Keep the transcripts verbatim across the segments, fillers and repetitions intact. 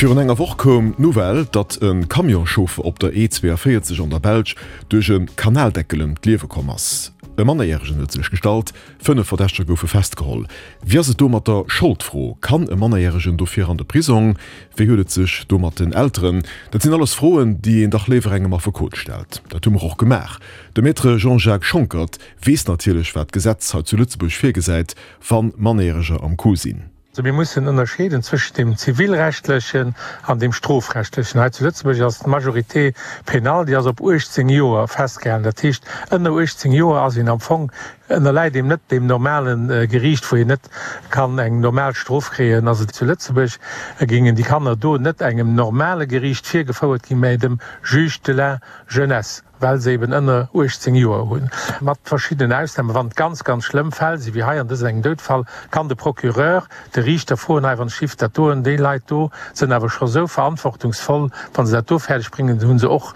Virun enger Woch koum d'Nouvelle, datt e Camionschauffer op der E zwouavéierzeg an der Belsch duerch e Kanaldeckel ëm d'Liewe komm ass. E Mannerjäregen huet sech gestallt, fënnef Verdächteger goufe festgeholl. Wéi ass et do mat der Scholdfro? Kann e Mannerjäregen dofir an de Prisong? Wéi huet et sech do mat den Elteren? Dat sinn alles Froen, déi een dach léiwer engem Affekot stellt. Dat hu mer och gemaach. De Maître Jean-Jacques Schonckert weess natierlech, wat d'Gesetz hei zu Lëtzebuerg virgesäit, wa Mannerjäreger am Coup sinn. Also mir mussen ënnerscheeden zwëschent dem zivilrechtlechen an dem strofrechtlechen. Hei zu Lëtzebuerg ass d'Majorité pénale, déi ass op uechtzéng Joer festgehalen. Dat heescht, ënner uechtzéng Joer ass een am Fong, ënnerläit een net deem normale Geriicht, wou een net kann eng normal Strof kréien. Also zu Lëtzebuerg géingen déi Kanner do net engem normale Geriicht virgefouert ginn, mä dem Juge de la jeunesse. well se eben ënner uechtzéng Joer hunn, mat verschiddenen Ausnamen. Wann et ganz, ganz schlëmm Fäll sinn, wéi hei an dësem engem Doudfall, kann de Procureur de Riichter froen, hei wann d'Schiff dat doen, déi Leit do sënn awer scho sou verantwortungsvoll, wa se dat do fäerdeg bréngen, hu se och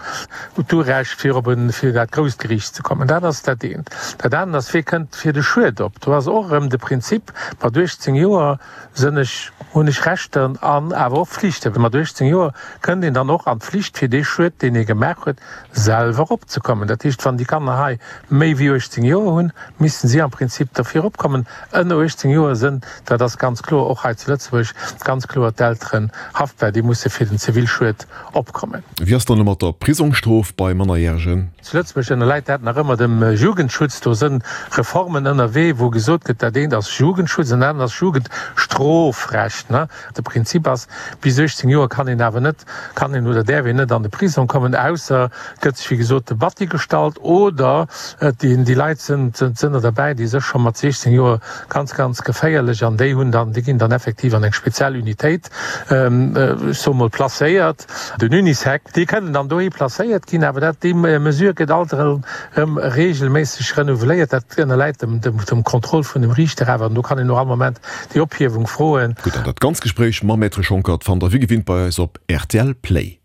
d'Urecht fir op e fir dat grousst Geriicht ze kommen. Dat ass dat eent. Dat anert ass, wee kënnt fir de Schued op? Do ass och erëm de Prinzip, mat uechtzéng Joer sënn ech, hunn ech Rechter an awer och Flichten. Mat uechtzéng Joer kënnt een dann och an d'Flicht fir dee Schued, deen ee gemaach huet, selwer opzekommen. Dat heescht, wann déi Kanner hei méi wéi uechtzéng Joer hunn, missten si am Prinzip derfir opkommen. Ënner uechtzéng Joer sënn, dat ass ganz kloer, och hei zu Lëtzebuerg, ganz kloer d'Elteren haftbar. Déi musse fir den Zivilschued opkommen. Wéi ass dann elo mat der Prisongstrof bei Mannerjäregen? Zu Lëtzebuerg ënnerläit dat nach ëmmer dem Jugendschutz. Do sënn Reformen ënnerwee, wou gesot gëtt, dat eent ass Jugendschutz an dat anert ass Jugendstrofrecht. De Prinzip ass, bis uechtzéng Joer kann een awer net, kann een oder däerf een net an de Prisong kommen, ausser et gëtt sech, wéi gesot, de Batti gestallt oder déi Leit sënn der derbäi, déi sech scho mat siechzéng Joer ganz, ganz geféierlech an déi hunn dann, déi ginn dann effektiv an eng speziell Unitéit, ech soe mol, placéiert, den Unisec. Déi kënnen dann dohi placéiert ginn, awer dat, déi Mesure gëtt alt erëm reegelméisseg renouveléiert. Dat ënnerläit dem, dem Contrôle vun dem Riichter awer an do kann een och all Moment déi Ophiewung froen. Gutt, an dat ganz Gespréich mam Maître Schonckert fannt der wéi gewinnt bei eis op rtl Play.